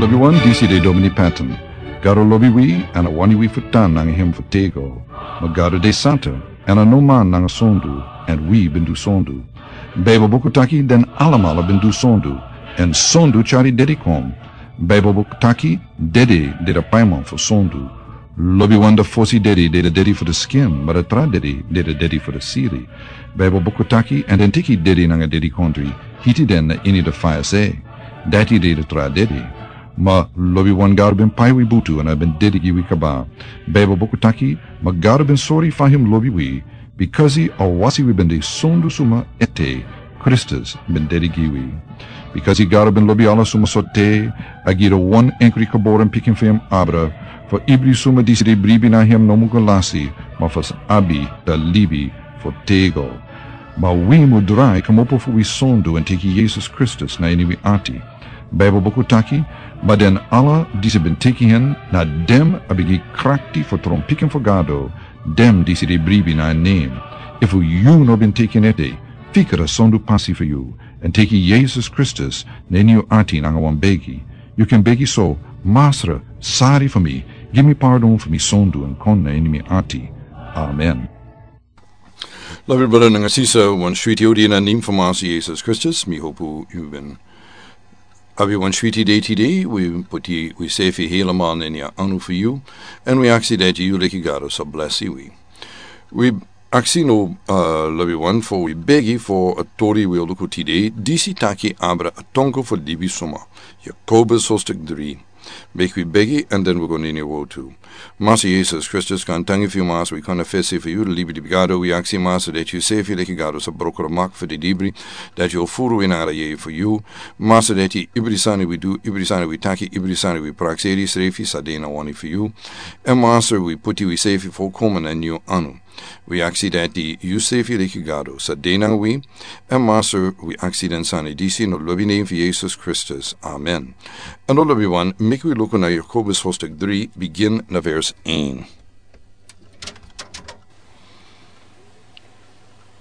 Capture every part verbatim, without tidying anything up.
Lobiwan, disi de Domini Patton. Gado lobi wi, èn a wani wi fu tan nanga hem fu tego. Ma Gado de santa, èn a no man nanga sondu, èn wi ben du sondu. Baibel buku taki den alamala ben du sondu, èn sondu tyari dede kon. Baibel buku taki dede de a paiman fu sondu. Lobiwan, a fosi dede de a dede fu a skin, ma a tra dede de a dede fu a siri. Baibel buku taki, èn den teki dede nanga dedikondre, hiti den na ini a faya se. Dati de a tra dede. Ma lobiwan, Gado ben pai wi butu èn a ben dede gi wi kaba. Baibel buku taki, ma Gado ben sori fa hem lobi wi, bikasi a wasi wi ben de sondu suma ete, Kristus ben dede gi wi. Bikasi Gado ben lobi ala suma so te, a gi a wan enkri geboren pikin fu hem abra, fu ibri suma disi de bribi na hem no mu go lasi, ma fu sa abi a libi fu tego. Ma wi mu drai kmopo fu wi sondu èn teki Yesus Kristus na ini wi ati. Baibel buku taki, ma den ala disi ben teki hen, na den a ben gi krakti fu tron pikin fu Gado, den disi de bribi na en nen. Efu yu no ben teki en ete, fika a sondu pasi fu yu, èn teki Yesus Kristus na ini yu ati nanga wan begi. Yu kan begi so: Masra, sari fu mi, gi mi pardon fu mi sondu èn kon na ini mi ati. Amen. Lobi brada nanga sisa, wan switi odi na nen fu Masra Yesus Kristus, mi hopu yu ben abi wan switi dei tide. Wi puti wisefi hela man na ini a anu fu yu, èn wi aksi dati yu leki Gado sa blesi wi. Wi aksi now, uh, lobiwan, fu wi begi fu a tori wi o luku tide, disi taki abra a tongo fu libisuma. Yakobus hoofdstuk dri. Meki wi begi, èn den wi go na ini a wortu. Masra Yesus Kristus, gaantangi fu yu, Masra, wi kon na fesi fu yu, libisuma Gado. Wi aksi, Masra, dati yusefi leki Gado sa broko a mak fu a libisuma, dati yu o furu ini a yeye fu yu. Masra, dati ibri sani wi du, ibri sani wi taki, ibri sani wi prakseri srefi sa de na wani fu yu. Èn Masra, wi puti wisefi folkomen na ini yu anu. Wi aksi dati yusefi leki Gado sa de nanga wi, èn Masra, wi aksi den sani disi na lobi nen fu Yesus Kristus. Amen. Èn now, lobiwan, meki wi luku na Yakobus hoofdstuk dri, bigin na vers een.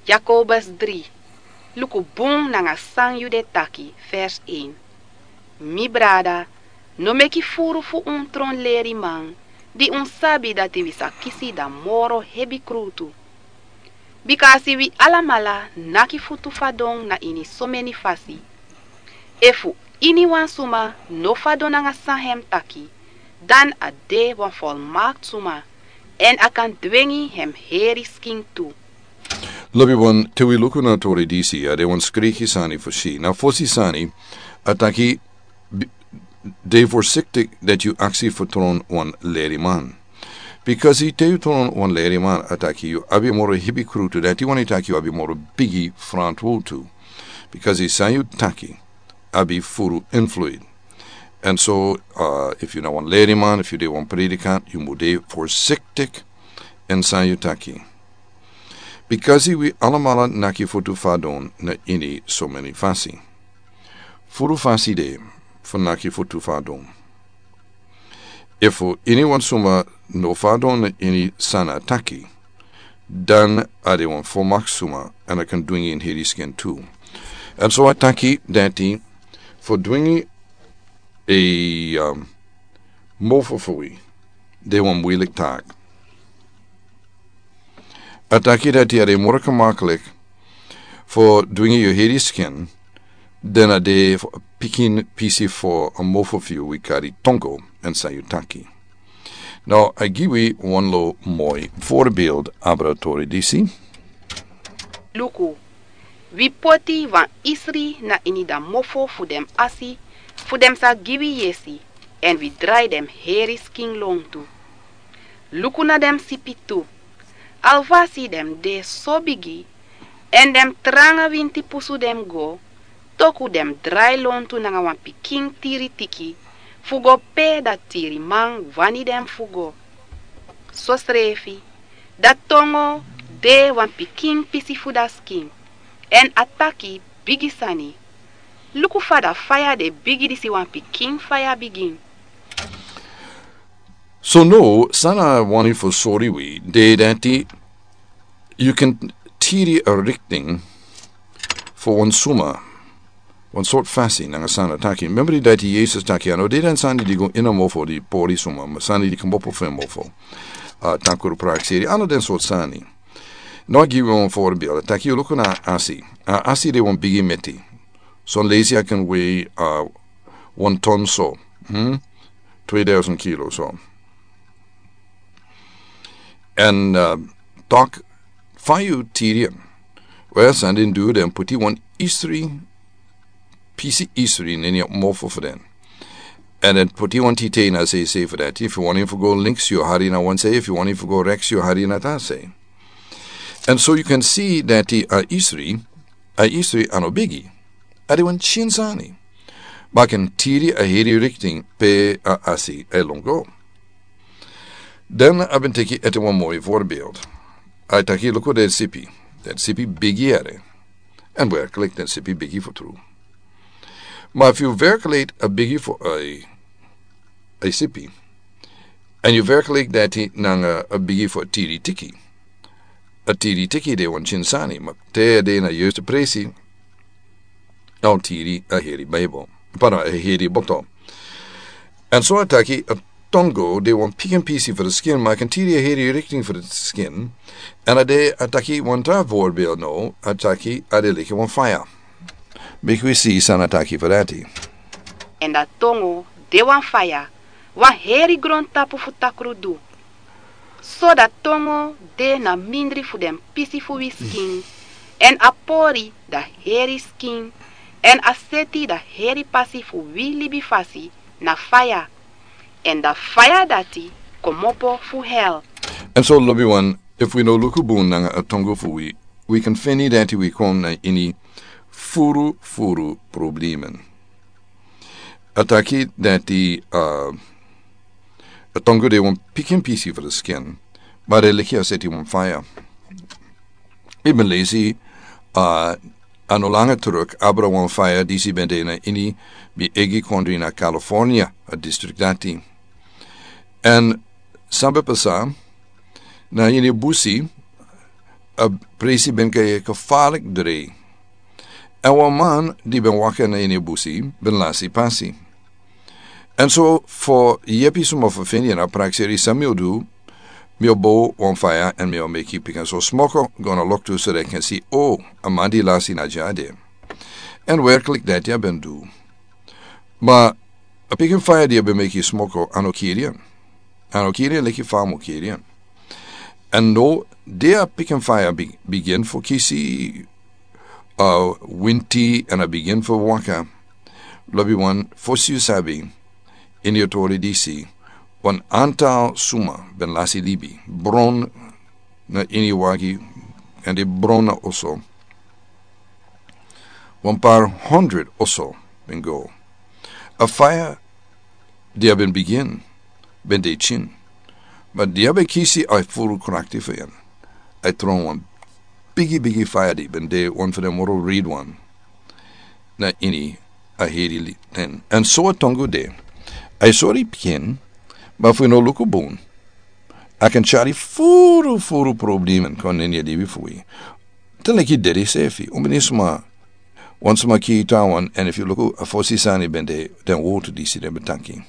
Yakobus dri, luku bun nanga san yu de taki, vers een. Mi brada, no meki furu fu un tron leriman, di un sabi dati wi sa kisi dan moro hebi krutu. Bikasi wi alamala naki futu fadon na ini someni fasi. Efu iniwan suma no fadon nanga san hem taki, dan a de wan folmakti suma, èn a kan dwengi hem heri skin tu. Lobiwan, te wi luku na a tori disi, a de wan skriki sani fu si. Na fosi sani, a taki, bi-, de voorzichtig dati yu aksi fu tron wan leriman. Bikasi te yu tron wan leriman, a taki yu abi moro hebi krutu, dati wani taki yu abi moro bigi frantwortu. Bikasi san yu taki abi furu invloed. Èn so, uh, efu yu na wan leriman, efu yu de wan predikant, yu mu de voorzichtig èn san yu taki. Bikasi wi alamala naki futu fadon na ini someni fasi. Furu fasi de fu naki futu fadon. Efu iniwan suma no fadon na ini san a taki, dan a de wan folmakti suma, èn a kan dwengi en heri skin tu. Èn so a taki dati fu dwengi a, um, mofo fu wi de wan muilik taki. A taki dati a de moro gemaklik fu dwengi yu heri skin, dan a de fu a pikin pisi fu a mofo fu yu wi kari tongo èn san yu taki. Now, a gi wi wan lo moi voorbeeld abra a tori disi. Luku, wi poti wan isri na ini dan mofo fu den asi, fu den sa gi wi yesi, èn wi drai den heri skin lontu. Luku na den sipi tu. Alwasi den de so bigi, èn den tranga winti pusu den go, toku den drai lontu nanga wan pikin tiri tiki, fu go pe dan tiriman wani den fu go. Sosrefi, dan tongo de wan pikin pisi fu dan skin, èn a taki bigi sani. Luku fa dan faya de bigi disi wan pikin faya bigin. So now, san a wani fu sori wi, de dati yu kan tiri a richting fu wan suma. Wan sort fasi nanga sani a taki. Memori dati Yesus taki a no de den sani di go ini a mofo di pori suma, ma sani di kmopo fu en mofo. A tankuru prakseri, a no den sort sani. No a gi wan voorbeeld. A taki yu luku na asi. A asi de wan bigi meti. Son lesi a kan wei, a, wan ton so. Hmm? Twee duizend kilo so. En, a, tok fa yu tiri en. Wel, san den du, den puti wan isri, pisi isri, neni a mofo fu den. En den puti wan tite na sei sei fu dati. If yu wani fu go links, yu hari na wan sei. If yu wani fu go rechts, yu hari na ta sei. And so you can see that a isri, a isri a no bigi. A de wan chin sani. Ma a kan tiri a heri richting pe a asi e longo. Dan a ben teki ete wan moi voorbeeld. A taki luku den sipi. Den sipi bigi ere. En werkelijk den sipi bigi fu tru. Ma if yu werkelijk a bigi fu a, a sipi. En yu werkelijk dati nanga a bigi fu a tiri tiki. A tiri tiki de wan chin sani, ma te a de na juiste presi. A tiri a heri Bijbel. Para a heri boto. En so a taki a tongo de wan pikin pisi fu de skin, ma a kan tiri a heri richting fu de skin. En a de a taki wan tra voorbeeld no, a taki a de leki wan faya. Meki wi si san a taki fu dati. En a tongo de wan faya, wan heri grontapu fu takru du. So a tongo de na mindri fu den pisi fu wi skin, en a pori a heri skin, en a seti a heri pasi fu wi libi fasi na faya, en a faya dati kmopo fu hel. En so lobiwan, efu wi no luku bun nanga a tongo fu wi, wi kan feni dati wi kon na ini furu furu problemen. A taki dati, a, a tongo de wan pikin pisi fu de skin, ma a de leki a seti wan faya. Mi ben lesi, a, a no langa truk abra wan faya disi ben de na ini mi egi kondri na California, a district dati. En san ben pasa, na ini busi, a presi ben kai kafalik drei. En wan man di ben waka na ini busi, ben lasi pasi. En so fu yepi suma fu feni na prakseri san mi o du, mi o bo wan faya en mi o meki pikin so smoko go na loktu so den kan si, o, a man di lasi na dya de. En werkelijk dati a ben du. Ma a pikin faya di a ben meki smoko a no kiri en. A no kiri en leki fa a mu kiri en. En no, di a pikin faya bi-, bigin fu kisi, a, winti en a bigin fu waka. Lobiwan, fosi yu sabi, ini a tori disi, wan antal suma ben lasi libi, bron na ini wagi, en di bron na oso. Wan par honderd oso ben go. A faya di a ben bigin, ben de chin. Ma di a ben kisi a furu krakti fu en, a tron wan bigi bigi faya di ben de wan fu den moro red wan na ini a heri li-, ten. En so a tongo de. A sori pikin, ma fu no luku bun, a kan tyari furu furu problemen kon neni a libi fu wi. Te leki dede sefi, un ben de suma, wan suma ki tawan, en efu yu luku a fosi sani ben de, den wortu disi den ben taki.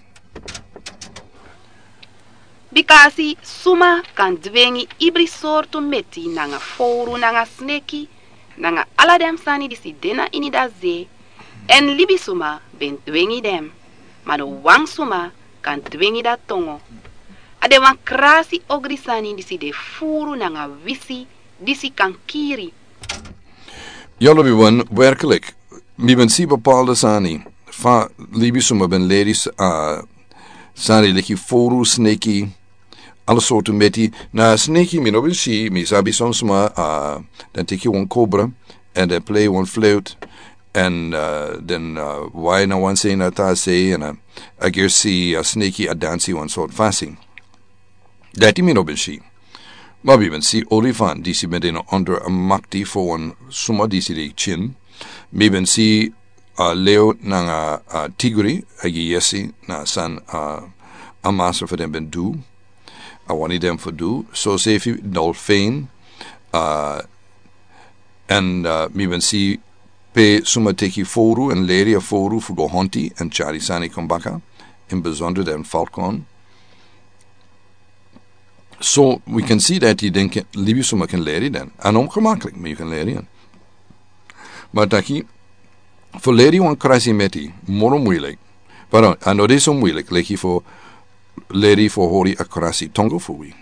Bikasi suma kan dwengi ibri sortu meti nanga fowru nanga sneki, nanga ala den sani disi de na ini a ze, en libisuma ben dwengi den, ma no wan suma kan dwengi a tongo. A de wan krasi ogri sani disi de furu nanga wisi, disi kan kiri. Ya lobiwan, werkelijk, mi ben si bepaalde sani, fa libisuma ben leri s-, a, sani leki fowru, sneki, ala sortu meti. Na sneki mi no ben si, mi sabi son suma, a, den teki wan kobra, en den plei wan fluit, en, a, den, a, wai na wan sei na ta sei, en, a, a gersi, a, sneki a dansi wan sort fasi. Dati mi no ben si. Ma mi ben si olifant, disi ben de na onder a makti fu wan suma disi de chin. Mi ben si, a, leo nanga, a, tigri, a gi yesi na san, a, a master fu den ben du. A wani den fu du. So sefi dolfijn, a, en, a, mi ben si pe suma teki fowru èn leri a fowru fu go honti èn tyari sani kon baka, in besonder den falkon. So wi kan si dati den ken, libisuma ken leri den. A no mus kon maklik, ma yu kan leri den. Ma taki, fu leri wan krasi meti moro muilik. Pardon, a no de so muilik leki fu leri fu hori a krasi tongo fu wi.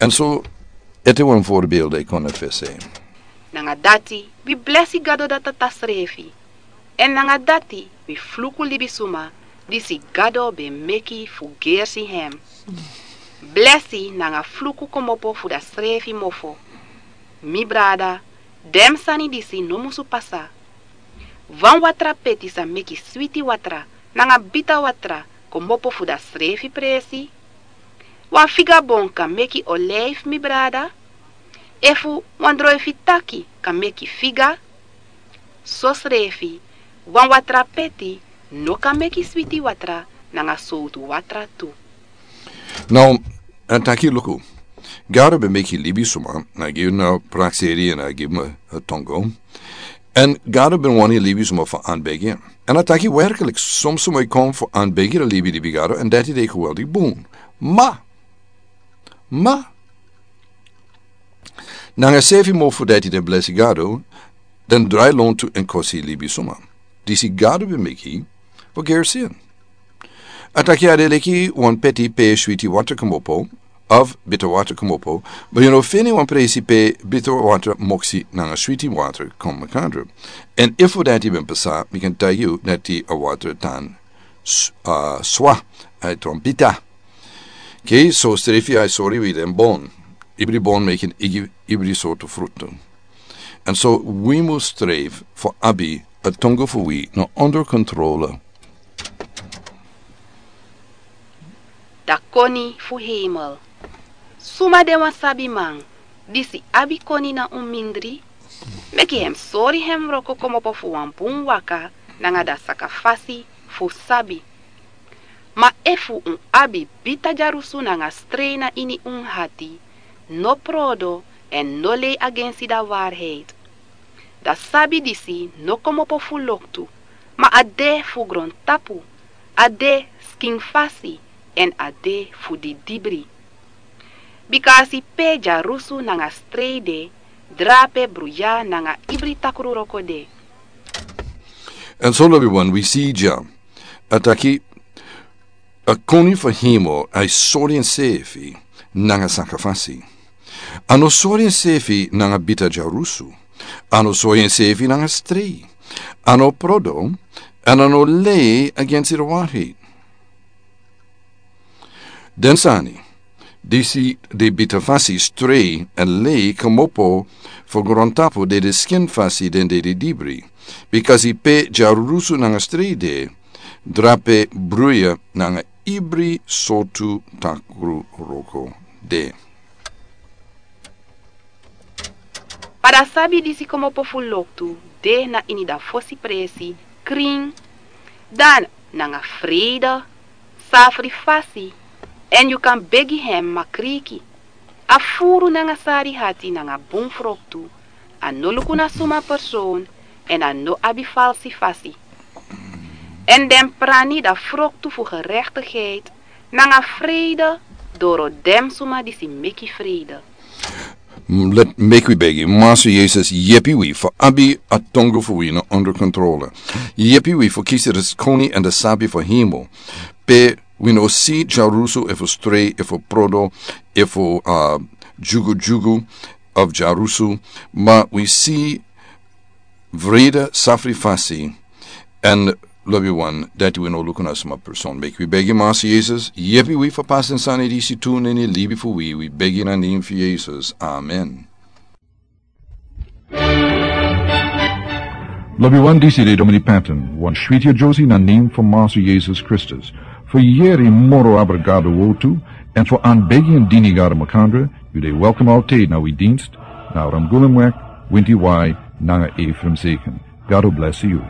Èn so, ete wan voorbeeld e kon na fese. Nanga dati, wi blesi Gado dati a ta srefi. Èn nanga dati, wi fluku libisuma disi Gado ben meki fu gersi hem. Blesi nanga fluku komopo fu dasrefi mofo. Mi brada, den sani disi no musu pasa. Wan watra peti sa meki switi watra nanga bita watra komopo fu dasrefi presi. Wan figabon kan meki olijf, mi brada? Efu wan droifi taki kan meki figa? Sosrefi, wan watra peti no kan meki switi watra nanga sowtu watra tu. Now, a taki luku. Gado ben meki libisuma, a gi unu prakseri èn a gi mi a tongo. Èn Gado ben wani libisuma fu anbegi. Èn a taki werkelijk, soms suma e kon fu anbegi dan libi, libi Gado, èn dati de geweldig bun. Ma, ma, nanga sefi mofo dati den blesi Gado, den drai lontu èn kosi libisuma. Disi Gado ben meki fu gersi en. A taki a de leki wan peti pe switi watra komopo, of bita watra komopo, ma yu no feni wan presi pe bita watra moksi nanga switi watra kon makandra. Èn efu dati ben pasa, mi kan taigi yu dati a watra tan s-, a, swa, a e trompita. Ke, sosrefi a e sori wi den bon. Ibri bon meki igi, ibri sortu frutu. Èn so wi mus strefi fu abi a tongo fu wi na onder kontrole. Da koni fu hemel. Suma de wan sabiman, disi abi koni na un mindri, meki hem sori hem wroko komopo fu wan bun waka nanga da sakafasi fu sabi. Ma efu un abi bita dyarusu nanga strei na ini un hati, no prodo èn no lei agensi da waarheid. Da sabi disi no komopo fu loktu, ma a de fu grontapu, a de skinfasi èn a de fu didibri. Bika a si pe dyarusu nanga strei de, drape bruya nanga ibri takru wroko de. Èn so lobiwan, wi si dya, a taki, a koni fu hemel a e sori ensefi nanga sakafasi. A no sori ensefi nanga bita dyarusu. A no sori ensefi nanga strei. A no prodo, èn a no lei agensi da waarheid. Den sani disi de bita fasi, strei èn lei komopo fu grontapu, de de skinfasi den de didibri. Bika a si pe dyarusu nanga strei de, drape bruya nanga ibri sortu takru wroko de. Ma da sabi disi komopo fu loktu de na ini da fosi presi, krin, dan nanga freide, safri fasi, èn yu kan begi hem makriki. A furu nanga sari hati nanga bun froktu, a no luku na suma person, èn a no abi falsi fasi. Èn den prani da froktu fu gerechtigheid nanga freide doro den suma disi meki freide. Mm, let, meki wi begi. Master Jesus, yepi wi fu abi a tongo fu wi na onder kontrole. Yepi wi fu kisi da koni èn da sabi fu hemel. Pe wi no si dyarusu efu strei efu prodo efu, uh, dyugudyugu of dyarusu, ma wi si vrede, safri fasi, èn lobiwan, dati wi no luku na suma person. Meki wi begi Master Jesus, yepi wi fu pasi den sani disi tu na ini libi fu wi, wi begi na nen fu Jesus. Amen. Lobiwan, disi de Domini Patton, wan switi a Josie na nen fu Master Jesus Kristus. Fu yeri moro abra Gado wortu, èn fu anbegi èn dini Gado makandra, yu de welkom altijd na wi dienst, na Ramgulumweg, winti wai, nanga Ephraim Zegen. Gado blesi yu.